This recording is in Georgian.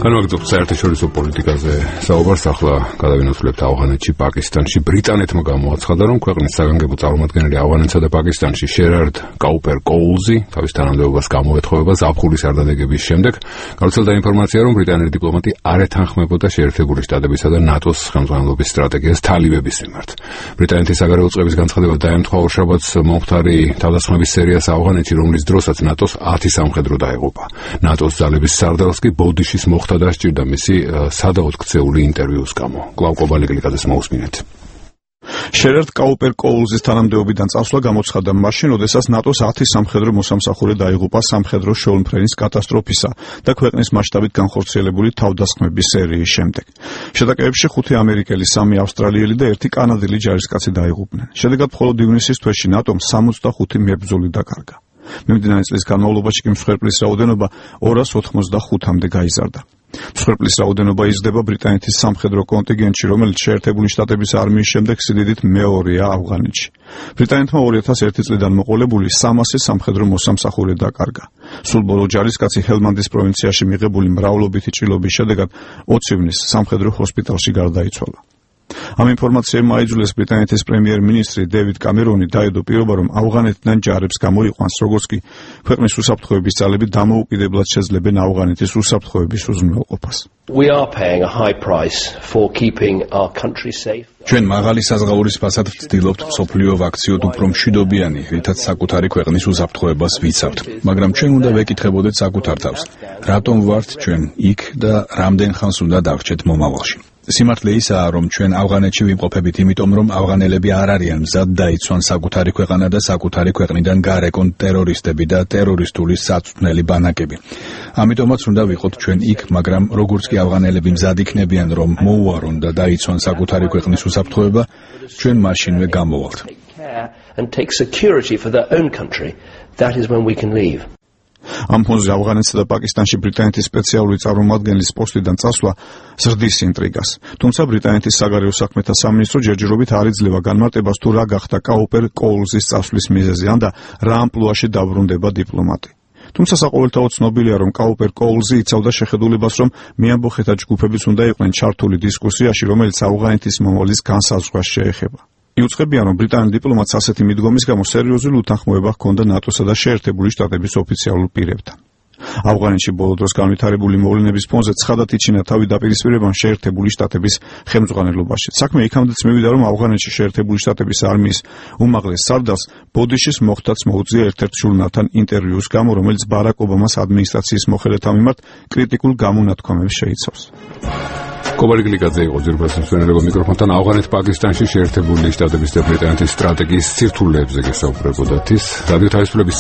განვაგრძობთ საერთაშორისო პოლიტიკაზე საუბარს. ახლა გადავინაცვლებთ ავღანეთში, პაკისტანში. ბრიტანეთმა გამოაცხადა, რომ ქვეყნის საგანგებო წარმომადგენელი ავღანეთსა და პაკისტანში შერარდ კაუპერ კოულზი თავის თანამდებობას გამოეთხოვება ზაფხულის არდადეგების შემდეგ. გავრცელდა ინფორმაცია, რომ ბრიტანელი დიპლომატი არ ეთანხმებოდა შეერთებული შტატებისა და ნატოს ხელმძღვანელობის სტრატეგიას თალიბების მიმართ. ბრიტანეთის საგარეო წყების განცხადება დაემთხვა ორშაბათს მომხდარი თავდასხმების სერიას ავღანეთში, რომლის დროსაც ნატოს 10 სამხედრო დაეღუპა. ნატოს ძალების სარდალს კი ბოდიშის მოხდა დასჭირდა მისი სადაოდ ქცეული ინტერვიუს გამო. კლავ კობალიკლიაძეს მოусმინეთ. შერარდ კაუპერ კოულზის თანამდებობიდან წასვლა გამოცხადდა მაშინ, როდესაც ნატოს 10 სამხედრო მოსამსახურე დაიღუპა სამხედრო შოულმფრენის კატასტროფისა და ქვეყნის მასშტაბით განხორციელებული თავდასხმების სერიის შემდეგ. შეტაკებებში 5 ამერიკელი, 3 ავსტრალიელი და 1 კანადელი ჯარისკაცი დაიღუპნენ. შედეგად მხოლოდ ივნისის თვეში ნატომ 65 მებრძოლი დაკარგა. მიმდინარე წლის განმავლობაში კი მსხვერპლის რაოდენობა 285-მდე გაიზარდა. მსხვერპლის რაოდენობა იზრდება ბრიტანეთის სამხედრო კონტინგენტში, რომელიც შეერთებული შტატების არმიის შემდეგ სიდიდით მეორეა ავღანეთში. ბრიტანეთმა 2001 წლიდან მოყოლებული 300 სამხედრო მოსამსახურე დაკარგა. სულ ბოლო ჯარისკაცი ჰელმანდის პროვინციაში მიღებული მრავლობითი ჭრილობის შედეგად 20 ივნის სამხედრო ჰოსპიტალში გარდაიცვალა. ამ ინფორმაციამ აიძულეს ბრიტანეთის პრემიერ-მინისტრი დევიდ კამერონი დაედო პირობა, რომ ავღანეთიდან ჯარებს გამოიყვანს, როგორც კი ქვეყნის უსაფრთხოების ძალები დამოუკიდებლად შეძლებენ ავღანეთის უსაფრთხოების უზრუნველყოფას. We are paying a high price for keeping our country safe. ჩვენ მაღალი საზღაურის ფასად ვცდილობთ მსოფლიო ვაქციოდ უფრო მშვიდობიანი, რითაც საკუთარი ქვეყნის უსაფრთხოებას ვიცავთ. მაგრამ ჩვენ უნდა ვეკითხებოდეთ საკუთარ თავს, რატომ ვართ ჩვენ იქ და რამდენ ხანს უნდა დავრჩეთ მომავალში. სიმართლე ისაა, რომ ჩვენ ავღანეთში ვიმყოფებით იმიტომ, რომ ავღანელები არ არიან მზად დაიცვან საკუთარი ქვეყანა და საკუთარი ქვეყნიდან გარეკონ ტერორისტები და ტერორისტული საწვრთნელი ბანაკები. ამიტომაც უნდა ვიყოთ ჩვენ იქ, მაგრამ როგორც კი ავღანელები მზად იქნებიან, რომ მოუარონ და დაიცვან საკუთარი ქვეყნის უსაფრთხოება, ჩვენ მაშინვე გამოვალთ. And take security for their own country. That is when we can leave. ამ ფონზე ავღანეთსა და პაკისტანში ბრიტანეთის სპეციალური წარმომადგენლის პოსტიდან წასვლა ზრდის ინტრიგას. თუმცა ბრიტანეთის საგარეო საქმეთა სამინისტრო ჯერჯერობით არ იძლევა განმარტებას, თუ რა გახდა კაუპერ კოულზის წასვლის მიზეზი და რა ამპლუაში დაბრუნდება დიპლომატი. თუმცა საყოველთაოდ ცნობილია, რომ კაუპერ კოულზი იცავდა შეხედულებას, რომ მეამბოხეთა ჯგუფებიც უნდა იყვნენ ჩართული დისკუსიაში, რომელიც ავღანეთის მომავლის განსაზღვრას შეეხება. იუწყებიან, რომ ბრიტანელ დიპლომატს ასეთი მიდგომის გამო სერიოზული უთანხმოება ჰქონდა ნატოსა და შეერთებული შტატების ოფიციალურ პირებთან. ავღანეთში ბოლო დროს განვითარებული მოვლენების ფონზე ცხადად იჩინა თავი დაპირისპირებამ შეერთებული შტატების ხელმძღვანელობაში. საქმე იქამდეც მივიდა, რომ ავღანეთში შეერთებული შტატების არმიის უმაღლეს სარდალს ბოდიშის მოხდაც მოუწია ერთ-ერთ ჟურნალთან ინტერვიუს გამო, რომელიც ბარაკ ობამას ადმინისტრაციის მოხელეთა მიმართ კრიტიკულ გამონათქვამებს შეიცავს. კობალიკლიაძე იყო ძირფასი მსვენელობა მიკროფონთან. ავღანეთ-პაკისტანში შეერთებული შტატების და ბრიტანეთის სტრატეგიის სირთულეებზე გესაუბრებოდათ. რადიო თავისუფლების